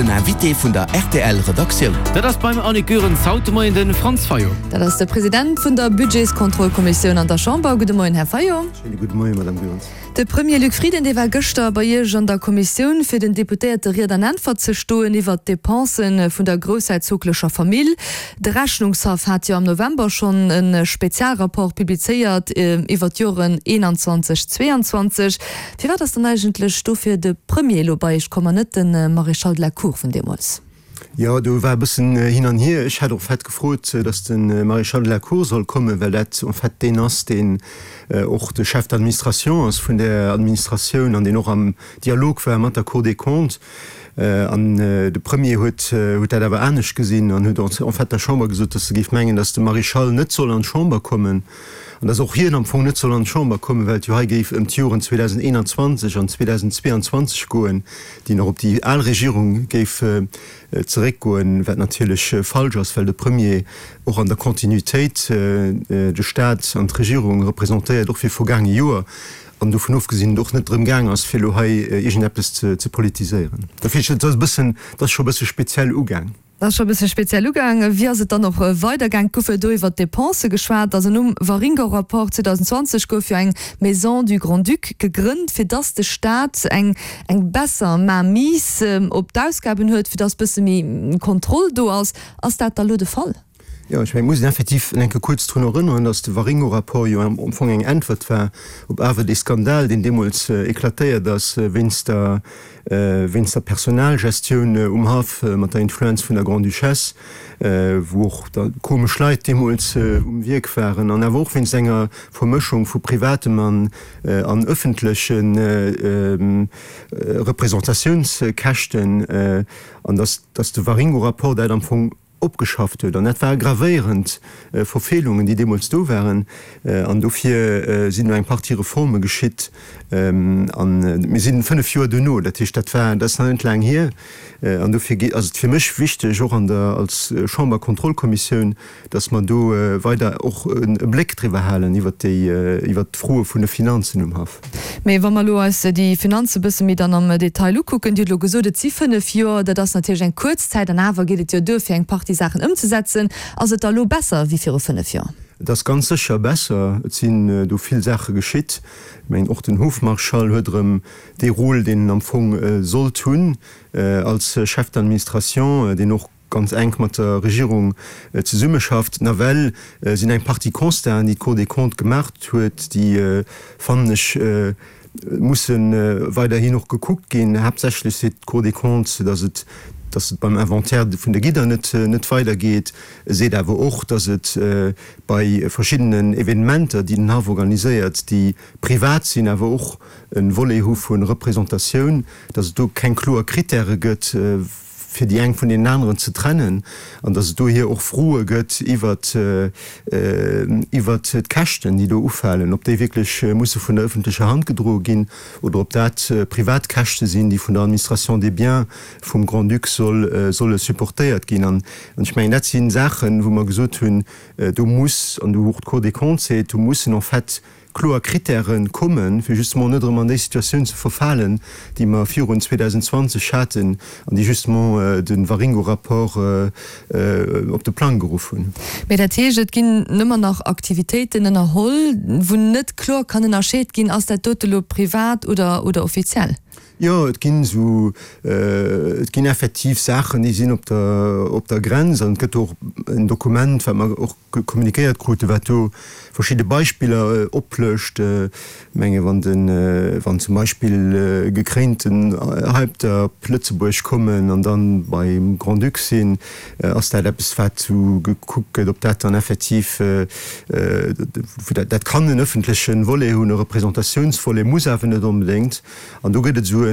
Den Invité vun der rtl Redaktioun. Dat ass beim Annick Goerens haut de Moien de Franz Fayot. Dat ass de President vun der Budgetskontrollkommissioun an der Chamber. Gudde Moien, Här Fayot. Schéine gudde Moien, Madame Goerens. De Premier Luc Frieden, dee war gëschter bei Iech an der Kommissioun, fir den Deputéierte Ried an Äntwert ze stoen iwwert d'Depensen vun der groussherzoglecher Famill. De Rechnungshaff hat jo am November schonn e Spezialrapport publizéiert iwwert d'Joren 21, 22. Firwat ass dann eigentlech dofir de Premier elo bei Iech komm an net de Maréchal de la Cour vun deemools? Jo, do war e bëssen hin an hier. Ech hat en fait gefrot, datt de Maréchal de la Cour soll kommen, well dat en fait deen ass, deen och de Chef d'administration ass vun där Administratioun an deen och am Dialog war mat der Cour des Comptes. An de Premier huet huet dat awer anescht gesinn an huet en fait der Chamber gesot, datt e géif mengen, datt de Maréchal net soll an d'Chamber kommen an datt och hien am Fong net soll an d'Chamber kommen, well et jo hei géif ëm d'Joren 2021 an 2022 goen. déi nach op déi al Regierung géif zeréckgoen, wat natierlech falsch ass, well de Premier och an der Continuitéit de Staat an d'Regierung representéiert, och fir vergaange Joer, an dovun ofgesinn et och net drëm gaang ass, fir elo hei iergendeppes ze politiséieren. Dofir, et ass e bëssen, et ass scho e bësse speziell ugaang. Dat ass scho e bësse speziell ugaang. Wéi ass et dann och weidergaang? Et gouf jo do iwwert d'Depensë geschwat. Also nom Waringo-Rapport 2020 gouf jo eng Maison du Grand-Duc gegrënnt, fir dass de Staat eng eng besser Mainmise op d'Ausgaben huet, fir dass bësse méi Kontroll do ass. Ass dat da lo de Fall? Jo, ech mengen, et muss een effektiv eng Kéier kuerz drun erënneren, dass de Waringo-Rapport jo am Fong eng Äntwert war op awer dee Skandal, deen deemools eklatéiert ass wéinst der wéinst der Personalgestioun um Haff mat der Influenz vun der Grande-Duchesse, wou och da komesch Leit deemools um Wierk waren, an awer och wéinst enger Vermëschung vu privatem an an ëffentleche Representatiounskäschten, an dass dass de Waringo-Rapport dat am Fong opgeschafft huet. An dat ware gravéierend Verfeelungen, déi deemools do waren. An dofir sinn do eng Partie Reforme geschitt. A mir si 5 Joer duerno, dat heescht, dat war, dat ass nach net laang hier. An dofir ass et fir mech wichteg, och an der, als Chamberkontrollkommissioun, dass mer do weider och e Bléck driwwer halen iwwert déi, iwwert d'Froe vun de Finanzen um Haff. Mee wa mer elo eis déi Finanze e bësse méi dann am Detail ukucken, Dir hutt elo gesot, et si 5 Joer, dat ass natierlech eng kuerz Zäit an awer geet et jo duer fir eng Partie Saachen ëmzesetzen. Ass et da elo besser wéi viru 5 Joer? Et ass ganz sécher besser. Et sinn do vill Saache geschitt. Ech mengen, och den Hofmarschall huet erëm dee Rôle, deen en am Fong sollt hunn als Chef d'administration, deen och ganz enk mat der Regierung zesummeschafft. Nawell sinn eng Partie Constaten, déi d'Cour des Comptes gemaacht huet, déi, fannen ech, musse weiderhin och gekuckt ginn. Haaptsächlech seet d'Cour des Comptes, datt et, datt et beim Inventaire vun de Gidder net, net weidergeet. E seet awer och, datt et bei verschiddenen Evenementer, déi den Haff organiséiert, déi privat sinn, awer och e Volet hu vu Representatioun, datt et do keng kloer Krittäre gëtt, fir déi eng vun deenen aneren ze trennen, an datt et dohier och Froe gëtt iwwert iwwert d'Käschten, déi do ufalen, ob déi wierklech musse vun der öffentlecher Hand gedroe ginn oder ob dat privat Käschte sinn, déi vun der Administration des biens vum Grand-Duc soll solle supportéiert ginn. An ech mengen, dat si Saachen, wou mer gesot hunn, do muss, an do och d'Cour des Comptes seet, do mussen en fait kloer Kritäre kommen, fir justement net erëm an déi Situatioun ze verfalen, déi mer virun 2020 haten an déi justement de Waringo-Rapport op de Plang geruff hunn. Mee dat heescht, et ginn ëmmer nach Aktivitéiten ënnerholl, wou net kloer kann ënnerscheet ginn, ass dat dote lo privat oder offiziell? Jo, et ginn esou, et ginn effektiv Saachen, déi sinn op der, op der Grenz an et gëtt och en Dokument, wat mer och kommunikéiert kruten, wat do verschidde Beispiller oplëscht. Ech menge wann de, wann zum Beispill gekréinten Häupter op Lëtzebuerg kommen an dann beim Grand-Duc sinn, ass dat eppes, wat esou gekuckt gëtt, ob dat dann effektiv, dat kann en ëffentleche Volet hunn, e Representatiounsvolet, muss awer net onbedéngt. An do gëtt et esou e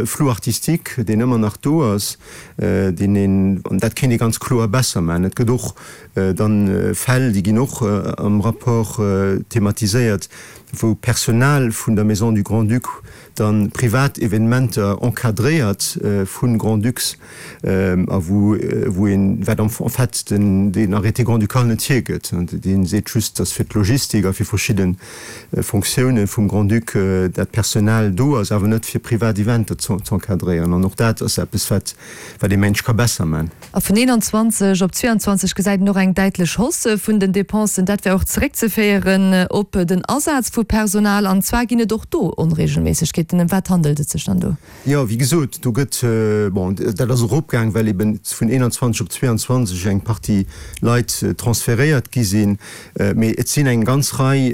Flou artistique, deen ëmmer nach do ass, deen een, an dat kéint ee ganz kloer besser maachen. Et gëtt och dann Fäll, déi ginn och am Rapport thematiséiert, wou Personal vun der Maison du Grand-Duc dann privat Evenementer encadréiert vu Grand-Ducs a wou wou een, wat en fait den deen Arrêté grand-ducal net hiergëtt, dee seet just, dass fir d'Logistik a fir verschidde Fonctiounen vum Grand-Duc dat Personal do ass, awer net fir privat Eventer z'encadréieren. An och dat ass eppes, wat wat ee mengt ka besser man. A vun 21 op 22 gesäit een och eng däitlech Hausse vun den Dépensen. Dat wär och zeréckzeféieren op den Asaz vu Personal. An zwar ginn et och do Onregelméissegkeeten. Ëm wat handelt et sech dann do? Jo, wéi gesot, do gëtt, bon, dat ass eropgaang, well eben vun 21 op 22 eng Partie Leit transferéiert gi sinn. Mee et sinn eng ganz Rei,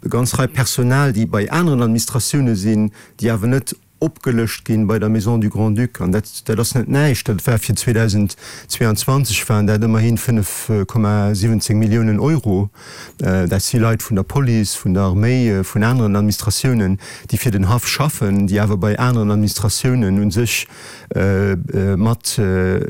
ganz Rei Personal, déi bei aneren Administratioune sinn, déi awer net opgelëscht ginn bei der Maison du Grand-Duc, an dat, dat ass net näischt, dat war fir 2022 waren dat ëmmerhin 5,17 Milliounen Euro. Dat si Leit vun der Police, vun der Arméi, vun aneren Administratiounen, déi fir den Haff schaffen, déi awer bei aneren Administratiounen u sech mat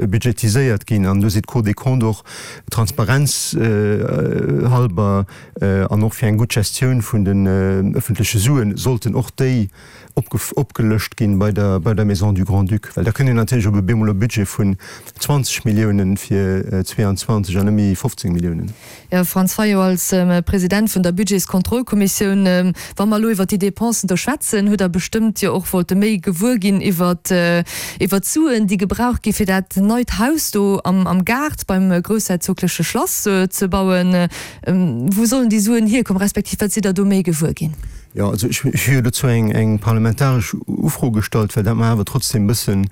budgetiséiert ginn. An do seet d'Cour des Comptes och, Transparenz halber an och fir eng gutt Gestioun vun den ëffentleche Suen sollten och déi opgelëscht ginn bei der bei der Maison du Grand-Duc, well da kënnt een natierlech op e bemol e Budget vun 20 Milliounen fir 22 an net méi 15 Milliounen. Jo, Franz Fayot, als President vun der Budgetskontrollkommissioun, wa mer elo iwwert déi Dépensen do schwätzen, hutt Der bestëmmt jo och wollte méi gewuer ginn iwwert iwwert d'Suen, déi gebraucht gi fir dat neit Haus do am am Gaart beim groussherzogleche Schlass ze bauen. Wou sollen déi Suen hierkommen, respektiv wat sidd Der do méi gewuer ginn? Jo, also ech hu jo dozou eng eng parlamentaresch Ufro gestallt, well dat mer awer trotzdem e bëssen,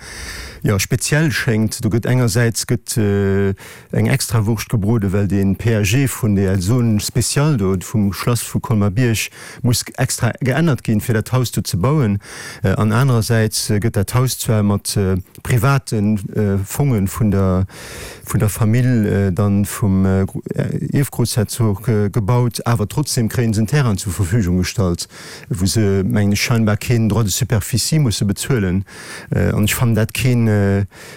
jo, speziell schéngt. Do gëtt engersäits gëtt eng Extrawurscht gebroden, well dee PAG vun der Zone spéciale do vum Schlass vu Colmar-Bierg muss extra geännert ginn, fir dat Haus do ze bauen. An anerersäits gëtt dat Haus zwar mat private Fonge vun der vun der Famill dann vum Ierfgroussherzog gebaut, awer trotzdem kréien se en Terrain zur Verfügung gestallt, wou se, mengen ech, scheinbar keen Droit de superficie musse bezuelen. An ech fannen dat keen,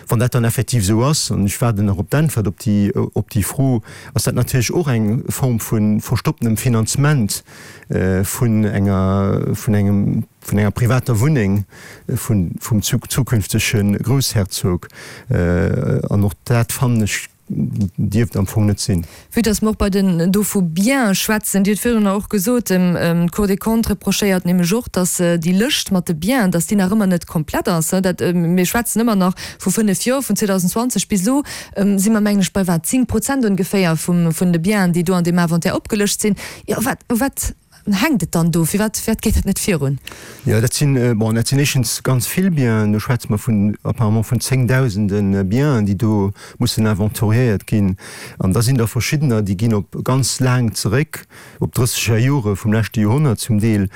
wann dat dann effektiv esou ass, an ech waarden nach op d'Äntwert op déi op déi Fro, ass dat natierlech och eng Form vu verstopptenem Finanzement vun enger vun engem vun enger privater Wunneng vun vum zukünftege Groussherzog. An och dat, fannen ech, dierft am Fong net sinn. Vue dass mer och bei den do vu Biens schwätzen, Dir hutt virdrunner och gesot, d'Cour des Comptes reprochéiert nämlech och, dass déi Lëscht mat de Biens, dass déi nach ëmmer net komplett ass. Dat, mir schwätzen ëmmer nach vu fënnef Joer, vun 2020 bis elo si mer, mengen ech, bei wat, 10 Prozent ongeféier vum vun de Biens, déi do an deem Inventaire opgelëscht sinn. Jo, wat, u wat hänkt et dann do? Firwat, firwat geet dat net virun? Jo, dat sinn, bon, dat sinn éischtens ganz vill Bienen. Do schwätze mer vun, apparemment vun zéngdausende Bienen, déi do mussen inventoriéiert ginn. An da sinn der verschiddener, déi ginn op ganz laang zeréck, op drësseger Jore vum leschte Joerhonnert zum Deel,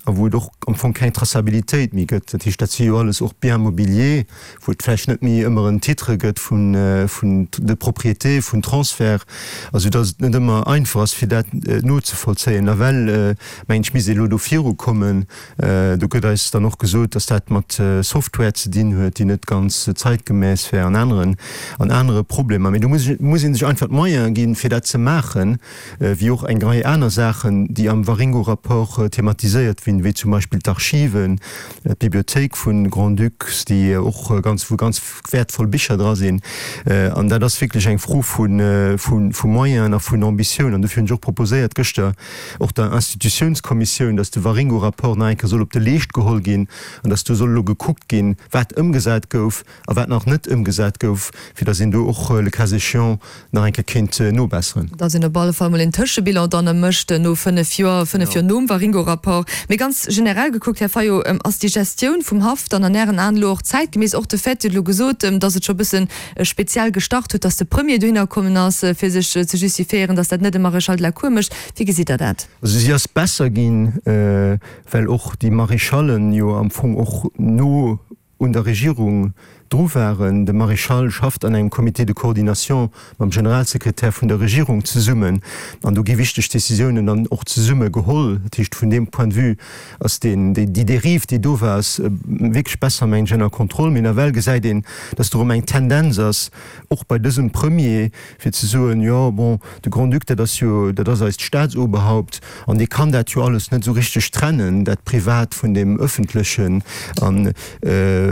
a wou et och am Fong keng Traçabilitéit méi gëtt. Dat heescht, dat si jo alles och Biens mobiliers, wou et vläicht net méi ëmmer en Titre gëtt vun de Propriété, vun Transfert, a sou datt et net ëmmer einfach ass fir dat nozevollzéien. Nawell mengen ech misst ee elo do virukommen. Do gëtt eis dann och gesot, datt dat mat Software ze dinn huet, déi net ganz zeitgemäss wär an aneren an anere Problemer. Mee do muss muss ee sech einfach d'Moyene ginn, fir dat ze maachen, wéi och eng Rei aner Saachen, déi am Waringo-Rapport thematiséiert ginn, wéi zum Beispill d'Archiven, d'Bibliothéik vun Grand-Ducs, déi och ganz, wou ganz wäertvoll Bicher dra sinn. An dat ass wierklech eng Fro vu, vu Moyenen a vun Ambitioun. An dofir hunn ech och proposéiert gëschter och der Institutiounskommissioun, dass de Waringo-Rapport nach eng Kéier soll op de Leescht geholl ginn an dass do soll elo gekuckt ginn, wat ëmgesat gouf a wat nach net ëmgesat gouf, fir dass een do och le cas échéant nach eng Kéier kéint nobesseren. Dass een op alle Fall mol een Tëschebilan dann mécht no 5 Joer, 5 Joer nom Waringo-Rapport. Mee ganz generell gekuckt, Här Fayot, ass déi Gestioun vum Haff dann an Ären Aen elo och zäitgemäss? Och de Fait, Dir hutt elo gesot, dass et scho e bësse speziell gestart huet, dass de Premier dohinner kommen ass, fir sech ze justifiéieren, dass dat net e Maréchal de la Cour mécht. Wéi gesitt Der dat? Also si ass besser ginn, well och déi Maréchallen jo am Fong och no. un der Regierung dru waren. De Maréchal schafft an engem Comité de coordination mam Generalsekretär vun der Regierung zesummen an do gi wichteg Décisiounen dann och zesumme geholl. Dat heescht, vun deem Point de vue ass deen, déi Dérive, déi do war, ass wierklech besser, mengen ech, ënner Kontroll. Mee nawell gesäit een, dass do erëm eng Tendenz ass, och bei dësem Premier, fir ze soen, jo, bon, de Grand-Duc, dat ass jo, dat ass eist Staatsoberhaupt an dee kann dat jo alles net esou richteg trennen, dat Privat vun deem Öffentlechen, an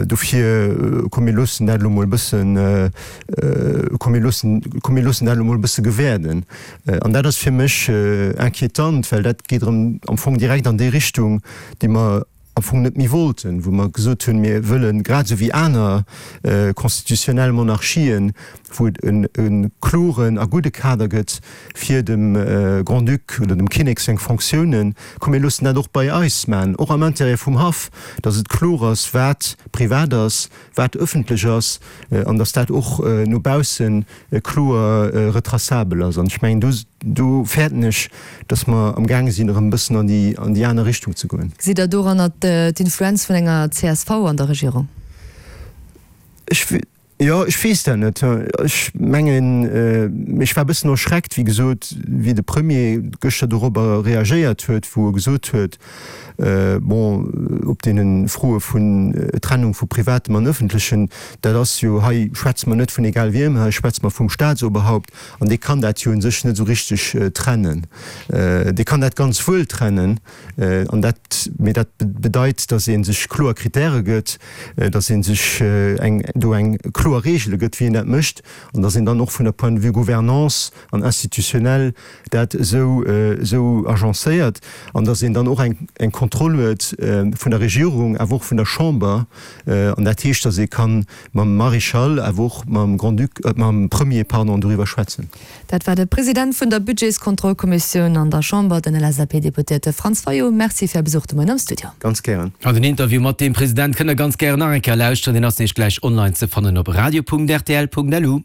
dofir, komm mir loossen dat elo mol e bëssen, komm mir loossen, komm mir loossen dat elo mol e bësse gewäerden. An dat ass fir mech inquiétant, well dat geet erëm am Fong direkt an déi Richtung, déi mer am Fong net méi wollten, wou mer gesot hunn, mir wëllen, grad esou wéi aner constitutionnel Monarchien, wou et e kloren a gudde Kader gëtt fir dem Grand-Duc oder dem Kinnek seng Fonctiounen, komm mir loossen dat och bei eis maachen, och am Intérêt vum Haff, datt et kloer ass, wat privat ass, wat ëffentlech ass an datt dat och no bausse kloer retraçabel ass. An ech mengen, do, do fäerten ech, datt mer amgaange sinn, erëm e bëssen an déi, an déi aner Richtung ze goen. Gesitt Der doranner d'Influenz vun enger csv an der Regierung? Ech, jo, ech weess dat net. Ech mengen, ech war e bëssen erschreckt, wéi gesot, wéi de Premier gëschter dorobber reagéiert huet, wou e gesot huet, Bon, op deene Froe vun Trennung vu Privatem an Ëffentlechen, dat ass jo, hei schwätze mer net vun egal wiem, hei schwätze mer vum Staatsoberhaupt an dee kann dat jo u sech net esou richteg trennen. Dee kann dat ganz wuel trennen an dat, mee dat bedeit, datt ee sech kloer Kritäre gëtt, datt ee sech eng, do eng kloer Regele gëtt, wéi een dat mécht an datt een dann och vun der Point de vue Gouvernance an institutionnel dat esou esou agencéiert an datt een dann och eng eng Kontroll huet vun der Regierung, awer och vun der Chamber. An dat heescht, datt ee ka mam Maréchal, awer och mam Grand-Duc, mam Premier, pardon, doriwwer schwätzen. Dat war de President vun der Budgetskontrollkommissioun an der Chamber, den LSAP-Deputéierte Franz Fayot. Merci fir Är Besuch de Moien am Studio. Ganz gären. An den Interview mat deem President kënnt der ganz gären nach eng Kéier lauschteren. Deen ass nämlech gläich online ze fannen op radio.rtl.lu.